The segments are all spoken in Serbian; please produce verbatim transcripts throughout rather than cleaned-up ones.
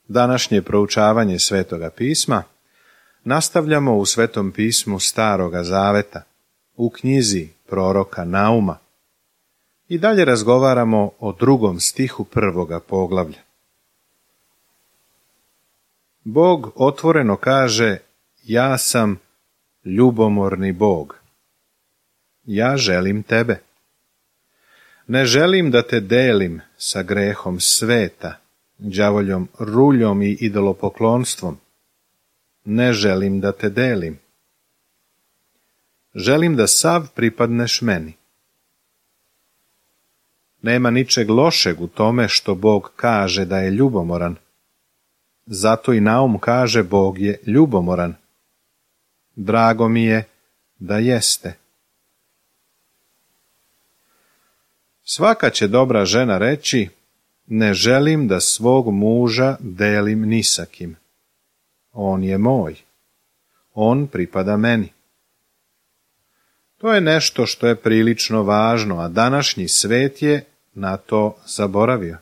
Današnje proučavanje Svetoga pisma nastavljamo u Svetom pismu Staroga zaveta, u knjizi proroka Nauma. I dalje razgovaramo o drugom stihu prvoga poglavlja. Bog otvoreno kaže: ja sam ljubomorni Bog. Ja želim tebe. Ne želim da te delim sa grehom sveta, đavoljom ruljom i idolopoklonstvom. Ne želim da te delim. Želim da sav pripadneš meni. Nema ničeg lošeg u tome što Bog kaže da je ljubomoran. Zato i Naum kaže: Bog je ljubomoran. Drago mi je da jeste. Svaka će dobra žena reći: ne želim da svog muža delim ni sa kim. On je moj. On pripada meni. To je nešto što je prilično važno, a današnji svet je na to zaboravio.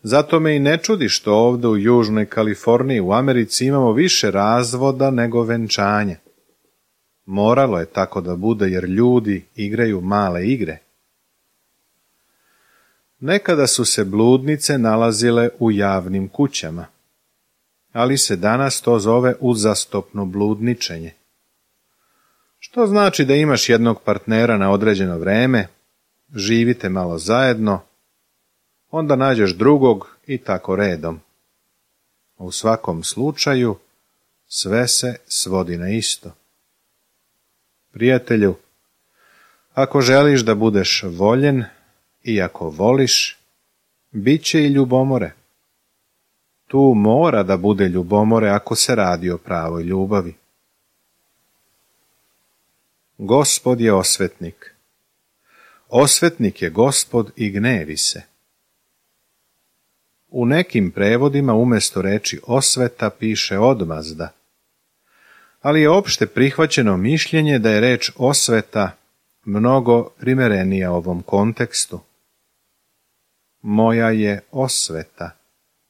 Zato me i ne čudi što ovdje u Južnoj Kaliforniji u Americi imamo više razvoda nego venčanja. Moralo je tako da bude jer ljudi igraju male igre. Nekada su se bludnice nalazile u javnim kućama, ali se danas to zove uzastopno bludničenje. Što znači da imaš jednog partnera na određeno vreme, živite malo zajedno, onda nađeš drugog i tako redom. U svakom slučaju sve se svodi na isto. Prijatelju, ako želiš da budeš voljen i ako voliš, bit će i ljubomore. Tu mora da bude ljubomore ako se radi o pravoj ljubavi. Gospod je osvetnik. Osvetnik je Gospod i gnevi se. U nekim prevodima umjesto reči osveta piše odmazda, ali je opšte prihvaćeno mišljenje da je reč osveta mnogo primerenija ovom kontekstu. Moja je osveta,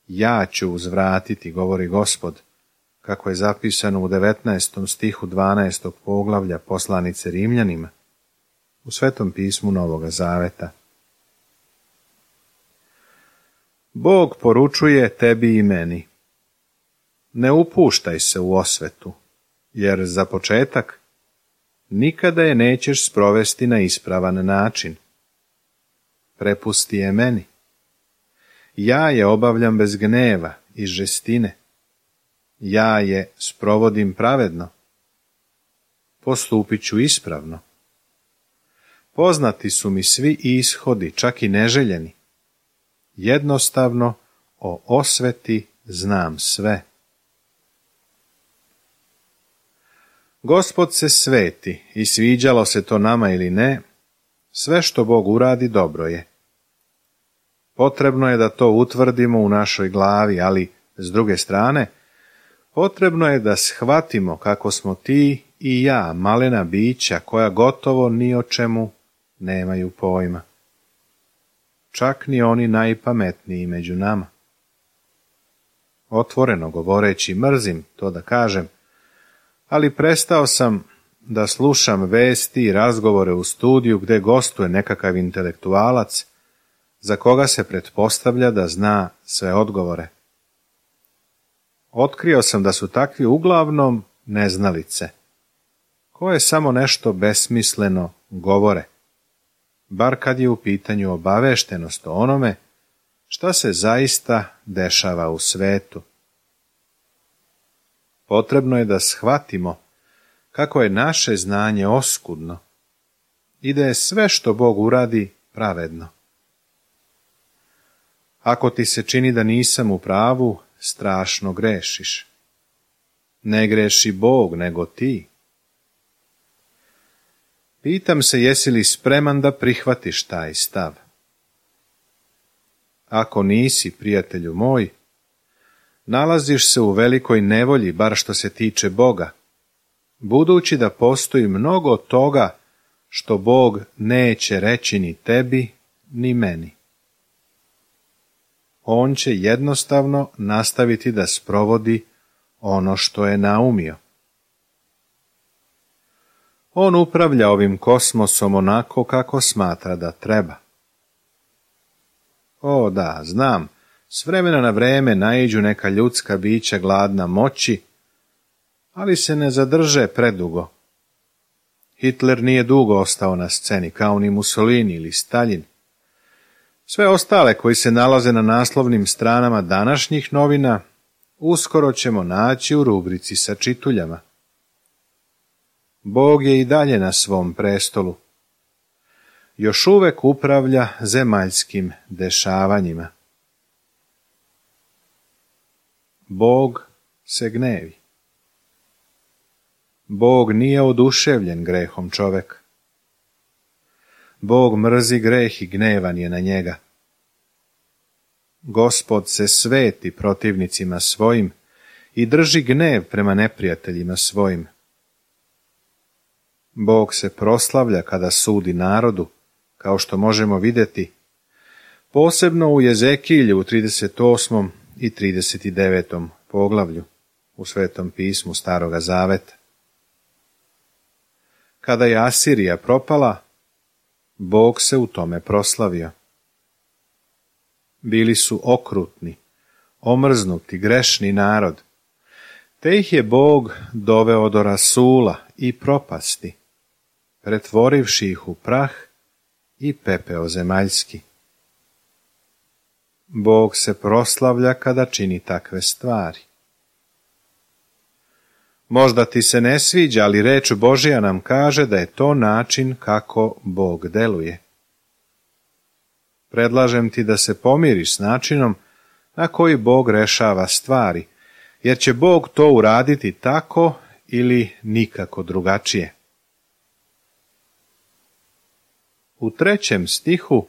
ja ću uzvratiti, govori Gospod, kako je zapisano u devetnaestom stihu dvanaestog poglavlja poslanice Rimljanima, u Svetom pismu Novoga zaveta. Bog poručuje tebi i meni: ne upuštaj se u osvetu, jer za početak nikada je nećeš sprovesti na ispravan način. Prepusti je meni. Ja je obavljam bez gneva i žestine. Ja je sprovodim pravedno. Postupit ću ispravno. Poznati su mi svi ishodi, čak i neželjeni. Jednostavno o osveti znam sve. Gospod se sveti i sviđalo se to nama ili ne, sve što Bog uradi dobro je. Potrebno je da to utvrdimo u našoj glavi, ali s druge strane, potrebno je da shvatimo kako smo ti i ja malena bića koja gotovo ni o čemu nemaju pojma. Čak ni oni najpametniji među nama. Otvoreno govoreći, mrzim to da kažem, ali prestao sam da slušam vesti i razgovore u studiju gdje gostuje nekakav intelektualac za koga se pretpostavlja da zna sve odgovore. Otkrio sam da su takvi uglavnom neznalice, koje samo nešto besmisleno govore, bar kad je u pitanju obaveštenost o onome šta se zaista dešava u svetu. Potrebno je da shvatimo kako je naše znanje oskudno i da je sve što Bog uradi pravedno. Ako ti se čini da nisam u pravu, strašno grešiš. Ne greši Bog, nego ti. Pitam se, jesi li spreman da prihvatiš taj stav? Ako nisi, prijatelju moj, nalaziš se u velikoj nevolji, bar što se tiče Boga, budući da postoji mnogo toga što Bog neće reći ni tebi, ni meni. on će jednostavno nastaviti da sprovodi ono što je naumio. On upravlja ovim kosmosom onako kako smatra da treba. O da, znam, s vremena na vreme naiđu neka ljudska bića gladna moći, ali se ne zadrže predugo. Hitler nije dugo ostao na sceni, kao ni Mussolini ili Staljin. Sve ostale koji se nalaze na naslovnim stranama današnjih novina uskoro ćemo naći u rubrici sa čituljama. Bog je i dalje na svom prestolu. Još uvek upravlja zemaljskim dešavanjima. Bog se gnevi. Bog nije oduševljen grehom čoveka. Bog mrzi greh i gnevan je na njega. Gospod se sveti protivnicima svojim i drži gnev prema neprijateljima svojim. Bog se proslavlja kada sudi narodu, kao što možemo vidjeti, posebno u Jezekilju u trideset osmom i trideset devetom poglavlju u Svetom pismu Staroga Zaveta. Kada je Asirija propala, Bog se u tome proslavio. Bili su okrutni, omrznuti, grešni narod, te ih je Bog doveo do rasula i propasti, pretvorivši ih u prah i pepeo zemaljski. Bog se proslavlja kada čini takve stvari. Možda ti se ne sviđa, ali reč Božja nam kaže da je to način kako Bog deluje. Predlažem ti da se pomiriš s načinom na koji Bog rešava stvari, jer će Bog to uraditi tako ili nikako drugačije. U trećem stihu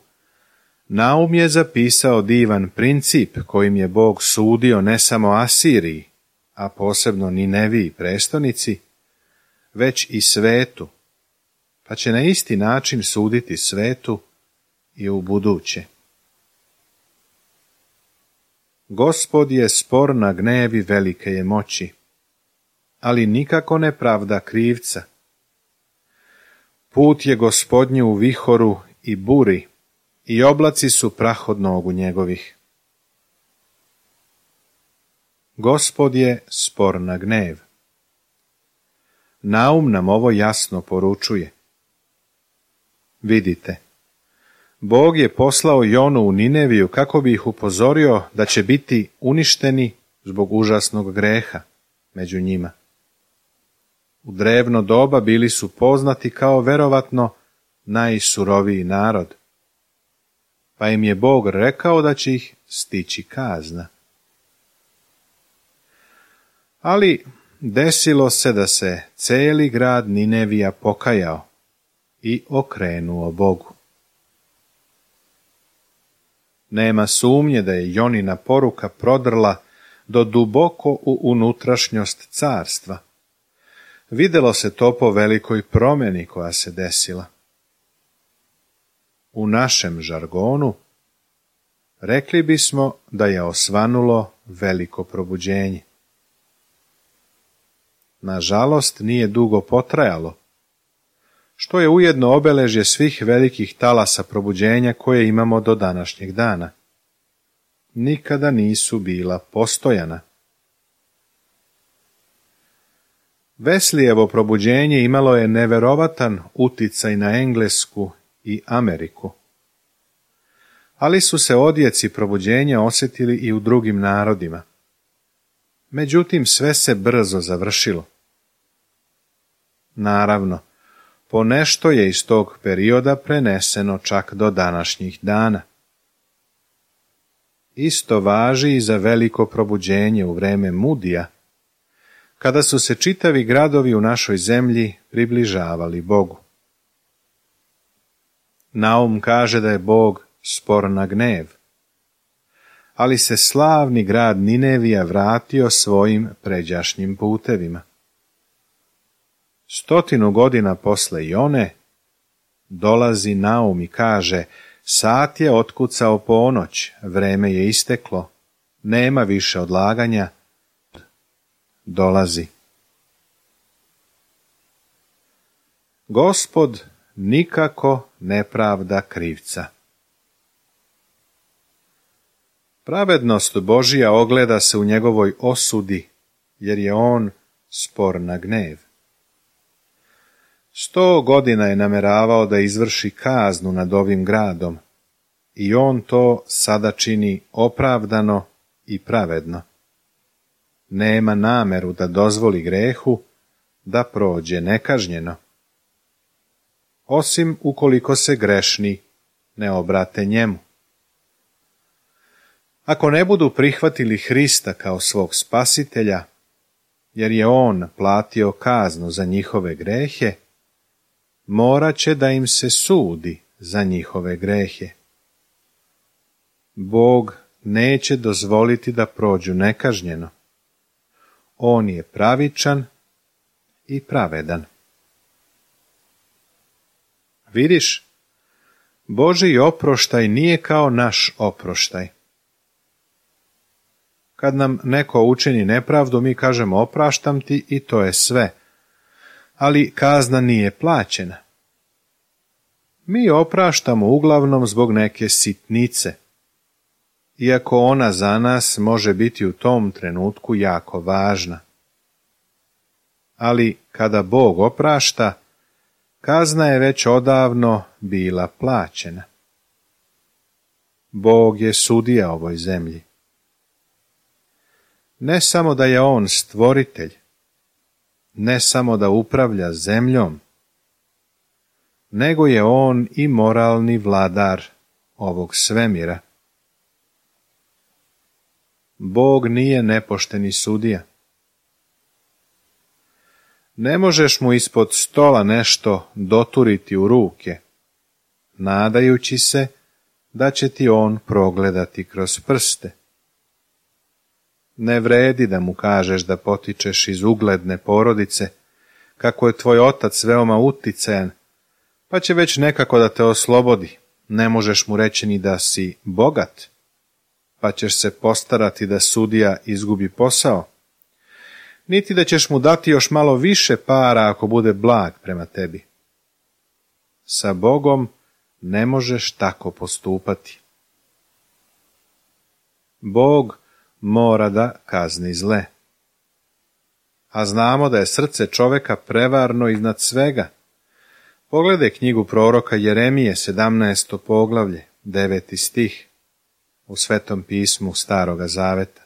Naum je zapisao divan princip kojim je Bog sudio ne samo Asiriji, a posebno Nineviji prestonici, već i svetu, pa će na isti način suditi svetu i u buduće. Gospod je spor na gnevi velike je moći, ali nikako ne pravda krivca. Put je Gospodnju u vihoru i buri, i oblaci su prah od nogu njegovih. Gospod je spor na gnev. Naum nam ovo jasno poručuje. Vidite, Bog je poslao Jonu u Nineviju kako bi ih upozorio da će biti uništeni zbog užasnog greha među njima. U drevno doba bili su poznati kao verovatno najsuroviji narod, pa im je Bog rekao da će ih stići kazna. Ali desilo se da se cijeli grad Ninevija pokajao i okrenuo Bogu. Nema sumnje da je Jonina poruka prodrla do duboko u unutrašnjost carstva. Vidjelo se to po velikoj promjeni koja se desila. U našem žargonu rekli bismo da je osvanulo veliko probuđenje. Nažalost, nije dugo potrajalo, što je ujedno obeležje svih velikih talasa probuđenja koje imamo do današnjeg dana. Nikada nisu bila postojana. Wesleyevo probuđenje imalo je neverovatan uticaj na Englesku i Ameriku. Ali su se odjeci probuđenja osjetili i u drugim narodima. Međutim, sve se brzo završilo. Naravno, ponešto je iz tog perioda preneseno čak do današnjih dana. Isto važi i za veliko probuđenje u vreme Mudija, kada su se čitavi gradovi u našoj zemlji približavali Bogu. Naum kaže da je Bog spor na gnev, ali se slavni grad Ninevija vratio svojim pređašnjim putevima. Stotinu godina posle Jone dolazi Naum i kaže: Sat je otkucao ponoć, vreme je isteklo, nema više odlaganja, dolazi. Gospod nikako ne pravda krivca. Pravednost Božija ogleda se u njegovoj osudi, jer je on spor na gnev. Sto godina je nameravao da izvrši kaznu nad ovim gradom, i on to sada čini opravdano i pravedno. Nema nameru da dozvoli grehu da prođe nekažnjeno, osim ukoliko se grešni ne obrate njemu. Ako ne budu prihvatili Hrista kao svog spasitelja, jer je on platio kaznu za njihove grehe, morat će da im se sudi za njihove grehe. Bog neće dozvoliti da prođu nekažnjeno. On je pravičan i pravedan. Vidiš, Božji oproštaj nije kao naš oproštaj. Kad nam neko učini nepravdu, mi kažemo opraštam ti i to je sve. Ali kazna nije plaćena. Mi opraštamo uglavnom zbog neke sitnice, iako ona za nas može biti u tom trenutku jako važna. Ali kada Bog oprašta, kazna je već odavno bila plaćena. Bog je sudija ovoj zemlji. Ne samo da je on stvoritelj, ne samo da upravlja zemljom, nego je on i moralni vladar ovog svemira. Bog nije nepošteni sudija. Ne možeš mu ispod stola nešto doturiti u ruke, nadajući se da će ti on progledati kroz prste. Ne vredi da mu kažeš da potičeš iz ugledne porodice, kako je tvoj otac veoma uticajan, pa će već nekako da te oslobodi. Ne možeš mu reći ni da si bogat, pa ćeš se postarati da sudija izgubi posao, niti da ćeš mu dati još malo više para ako bude blag prema tebi. Sa Bogom ne možeš tako postupati. Bog mora da kazni zle. A znamo da je srce čoveka prevarno iznad svega. Pogledaj knjigu proroka Jeremije, sedamnaesto poglavlje, deveti stih, u Svetom pismu Staroga Zaveta.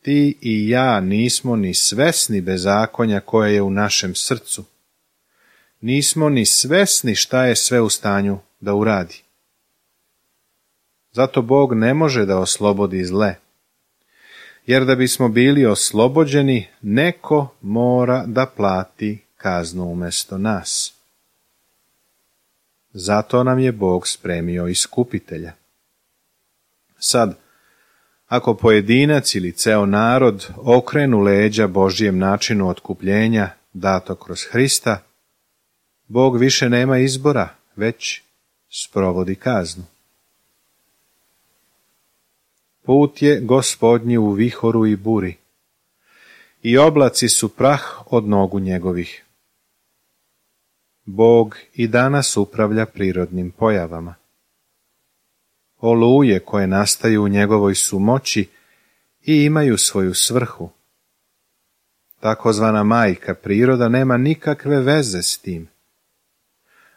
Ti i ja nismo ni svesni bezakonja koje je u našem srcu. Nismo ni svesni šta je sve u stanju da uradi. Zato Bog ne može da oslobodi zle. Jer da bismo bili oslobođeni, neko mora da plati kaznu umjesto nas. Zato nam je Bog spremio iskupitelja. Sad, ako pojedinac ili ceo narod okrenu leđa Božjem načinu otkupljenja dato kroz Hrista, Bog više nema izbora, već sprovodi kaznu. Put je Gospodnji u vihoru i buri, i oblaci su prah od nogu njegovih. Bog i danas upravlja prirodnim pojavama. Oluje koje nastaju u njegovoj su moći i imaju svoju svrhu. Takozvana majka priroda nema nikakve veze s tim.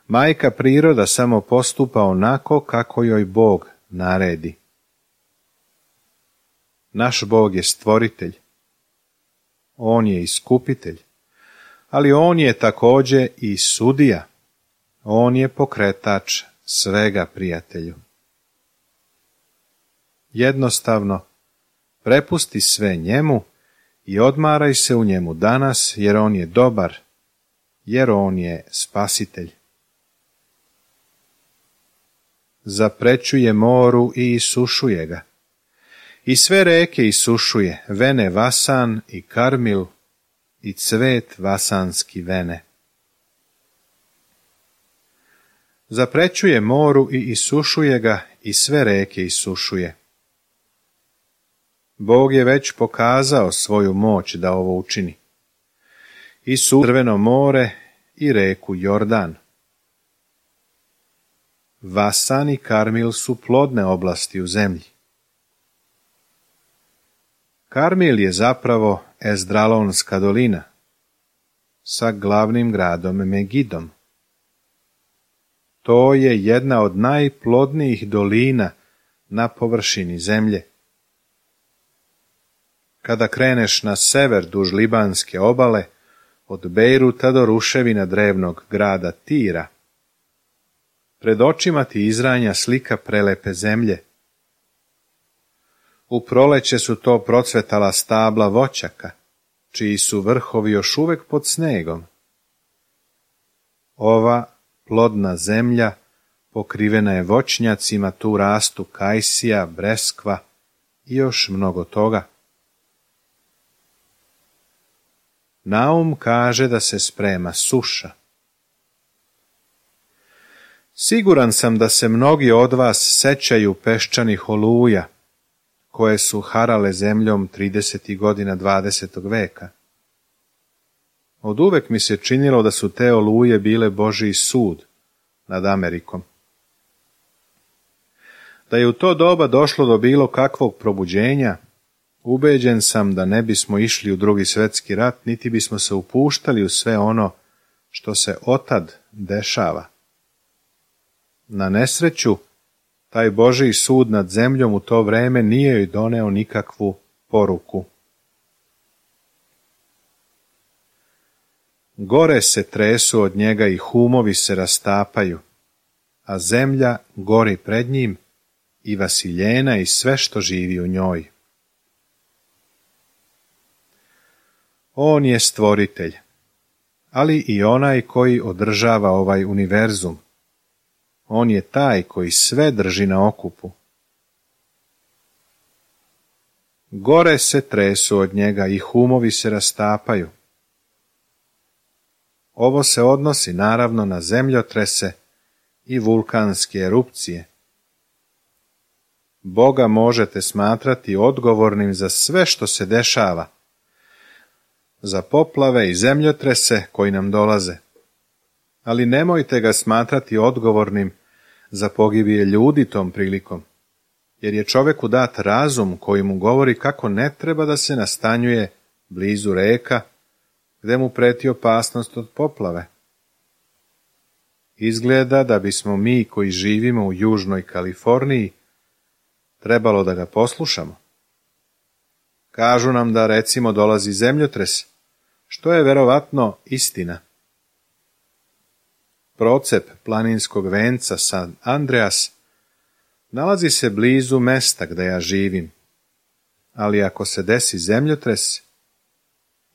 Majka priroda samo postupa onako kako joj Bog naredi. Naš Bog je stvoritelj. On je iskupitelj, ali on je također i sudija. On je pokretač svega, prijatelju. Jednostavno, prepusti sve njemu i odmaraj se u njemu danas, jer on je dobar, jer on je spasitelj. Zaprećuje moru i isušuje ga. I sve reke isušuje, vene Vasan i Karmil i cvet vasanski vene. Zaprećuje moru i isušuje ga i sve reke isušuje. Bog je već pokazao svoju moć da ovo učini. I su Crveno more i reku Jordan. Vasan i Karmil su plodne oblasti u zemlji. Karmil je zapravo Ezdralonska dolina sa glavnim gradom Megidom. To je jedna od najplodnijih dolina na površini zemlje. Kada kreneš na sever duž Libanske obale, od Bejruta do ruševina drevnog grada Tira, pred očima ti izranja slika prelepe zemlje. U proleće su to procvetala stabla voćaka, čiji su vrhovi još uvek pod snegom. Ova plodna zemlja pokrivena je voćnjacima, tu rastu kajsija, breskva i još mnogo toga. Naum kaže da se sprema suša. Siguran sam da se mnogi od vas sećaju peščanih oluja, koje su harale zemljom tridesetih godina dvadesetog veka. Od uvek mi se činilo da su te oluje bile Božji sud nad Amerikom. Da je u to doba došlo do bilo kakvog probuđenja, ubeđen sam da ne bismo išli u Drugi svjetski rat, niti bismo se upuštali u sve ono što se otad dešava. Na nesreću, taj Božji sud nad zemljom u to vreme nije joj doneo nikakvu poruku. Gore se tresu od njega i humovi se rastapaju, a zemlja gori pred njim i vasiljena i sve što živi u njoj. On je stvoritelj, ali i onaj koji održava ovaj univerzum. On je taj koji sve drži na okupu. Gore se tresu od njega i humovi se rastapaju. Ovo se odnosi naravno na zemljotrese i vulkanske erupcije. Boga možete smatrati odgovornim za sve što se dešava, za poplave i zemljotrese koji nam dolaze. Ali nemojte ga smatrati odgovornim za pogibije ljudi tom prilikom, jer je čoveku dat razum koji mu govori kako ne treba da se nastanjuje blizu reka, gde mu preti opasnost od poplave. Izgleda da bismo mi koji živimo u Južnoj Kaliforniji trebalo da ga poslušamo. Kažu nam da recimo dolazi zemljotres, što je verovatno istina. Procep planinskog venca San Andreas nalazi se blizu mesta gde ja živim, ali ako se desi zemljotres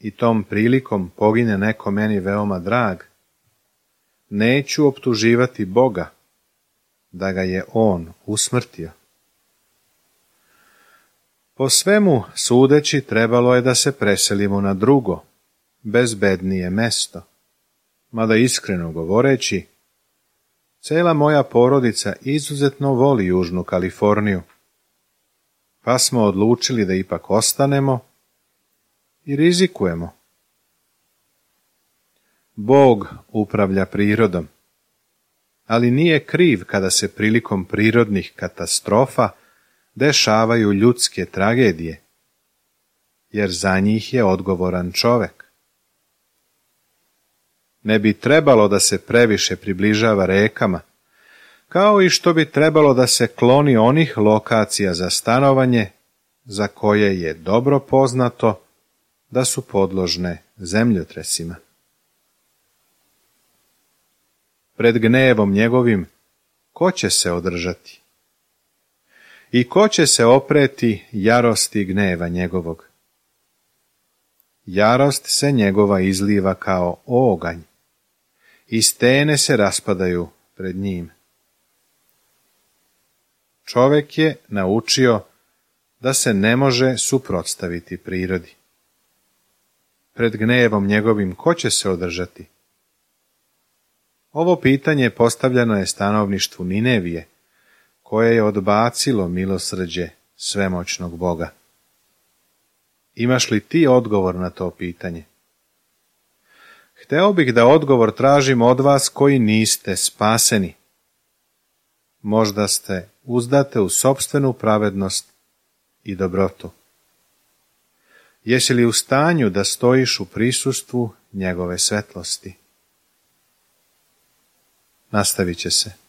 i tom prilikom pogine neko meni veoma drag, neću optuživati Boga da ga je on usmrtio. Po svemu sudeći trebalo je da se preselimo na drugo, bezbednije mesto. Mada iskreno govoreći, cela moja porodica izuzetno voli Južnu Kaliforniju, pa smo odlučili da ipak ostanemo i rizikujemo. Bog upravlja prirodom, ali nije kriv kada se prilikom prirodnih katastrofa dešavaju ljudske tragedije, jer za njih je odgovoran čovek. Ne bi trebalo da se previše približava rekama, kao i što bi trebalo da se kloni onih lokacija za stanovanje za koje je dobro poznato da su podložne zemljotresima. Pred gnevom njegovim ko će se održati? I ko će se opreti jarosti gneva njegovog? Jarost se njegova izliva kao oganj, i stene se raspadaju pred njim. Čovek je naučio da se ne može suprotstaviti prirodi. Pred gnevom njegovim ko će se održati? Ovo pitanje postavljeno je stanovništvu Ninevije, koje je odbacilo milosrđe svemoćnog Boga. Imaš li ti odgovor na to pitanje? Hteo bih da odgovor tražim od vas koji niste spaseni. Možda ste uzdate u sopstvenu pravednost i dobrotu. Jesi li u stanju da stojiš u prisustvu njegove svetlosti? Nastavit će se.